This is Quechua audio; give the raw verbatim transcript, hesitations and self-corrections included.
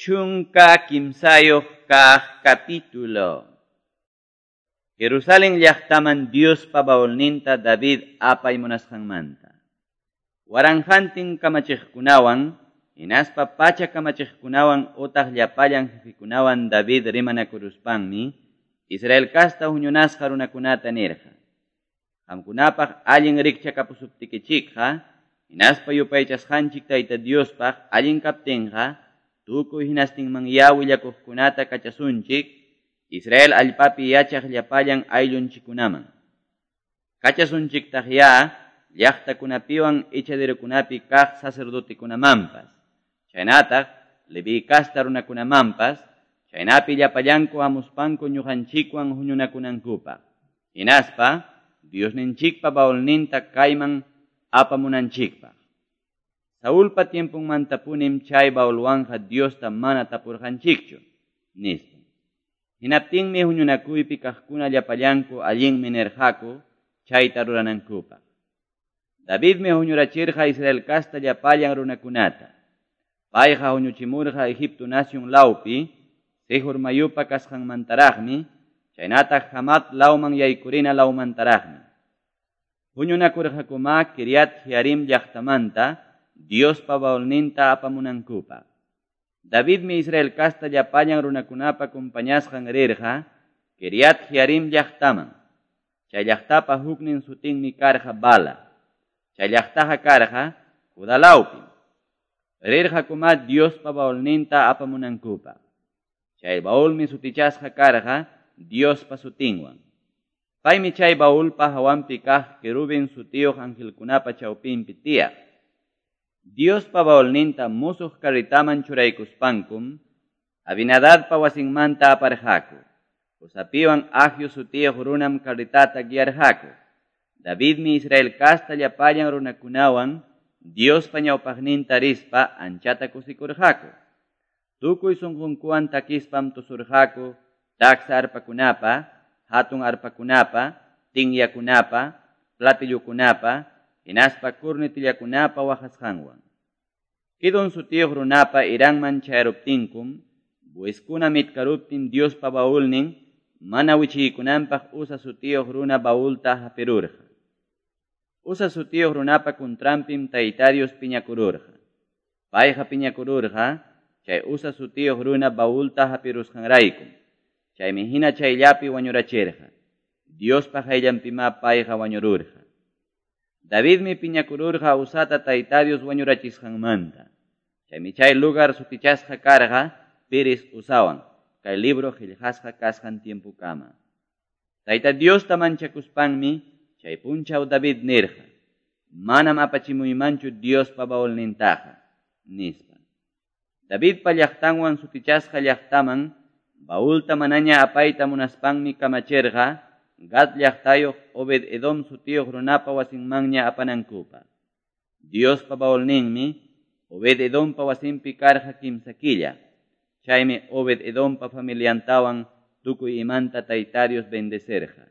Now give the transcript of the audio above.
Chunka kimsayuq kaq capítulo. Jerusalén llaqtaman Diospa baulninta David apay munasqanmanta. Waranqantin kamachiqkunawan, hinaspa pacha kamachiqkunawan utaq llapallan jefekunawan David rimanakuruspanmi, Israel kasta huñunasqa runakunata nirqa. Qamkunapaq allin rikchakapusuptikichikqa, hinaspa yupaychasqanchik Tayta Diospaq allin kaptinqa, tukuy hinastinman ya willakuqkunata kachasunchik, Israel allpapi yachaq llapallan ayllunchikkunaman. Kachasunchiktaq ya llaqtakunapiwan ichadirukunapi kaq sacerdotekunamanpas, chaynataq Leví kasta runakunamanpas, chaynapi llapallanku hamuspanku ñuqanchikwan huñunakunankupaq. Hinaspa Diosninchikpa baulninta kayman apamunanchikpaq. Saulpa tiempunmantapunim chay baulwanja Diosta mana tapurqanchikchu, nispa. Hinaptinmi huñunakuypi kaqkuna llapallanku allinmi nirqaku chayta ruranankupaq. Davidmi huñurachirqa Israel kasta llapallan runakunata. Payqa huñuchimurqa Egipto nación lawpi, Sihor mayupa kasqanmantaraqmi, chaynataq Hamat lawman yaykurina lawmantaraqmi. Huñunakurqakuma Kiriat Jearim llaqtamanta Diospa baulninta apamunankupaq. Davidmi Israel kasta llapallan runakunapa compañasqan rirqa Kiriat Jearim llaqtaman. Chay llaqtapa huknin sutinmi karqa Bala. Chay llaqtaqa karqa Judá lawpim. Rirqakuma Diospa baulninta apamunankupaq. Chay baulmi sutichasqa karqa Diospa sutinwan. Paymi chay baulpa hawanpi kaq querubin sutiyuq angelkunapa chawpinpi tiyaq. Diospa baulninta musuq carritaman churaykuspankum, Abinadadpa wasinmanta aparqaku. Usapiwan Ahio sutiyuq runam carritata guiarqaku. Davidmi Israel kasta llapallan runakunawan Diospa ñawpaqninta rispa anchata kusikurqaku. Tukuy sunqunkuwan takispam tusurqaku taksa arpakunapa, hatun arpakunapa, tinyakunapa, platillukunapa, hinaspa kurnitillakunapa waqasqanwan. Kidon sutiyuq runapa iranman chayaruptinkum, buiskuna mitkaruptin Diospa baulnin, mana wichiykunanpaq Usa sutiyuq runa baulta hapirurqa. Usa sutiyuq runapa kuntranpim Tayta Dios piñakururqa. Payqa piñakururqa, chay Usa sutiyuq runa baulta hapirusqanraykum. Chaymi hina chayllapi wañurachirqa. Diospa qayllanpimá payqa wañururqa. Davidmi piñakururqa Usata Tayta Dios wañurachisqanmanta. Chaymi chay lugar sutichasqa karqa Piris Usawan, kay libro qillqasqa kasqan tiempukama. Tayta Diosta manchakuspanmi chay punchaw David nirqa, manam apachimuymanchu Diospa baulnintaqa, nispa. Davidpa llaqtanwan sutichasqa llaqtaman baulta manaña apayta munaspanmi kamachirqa Gad llaqtayuq Obed Edom sutiyuq runapa wasinmanña apanankupaq. Diospa baulninmi Obed Edompa wasinpi karqa kimsa killa. Chaymi Obed Edompa familiantawan tukuy imanta Tayta Dios bendecerqa.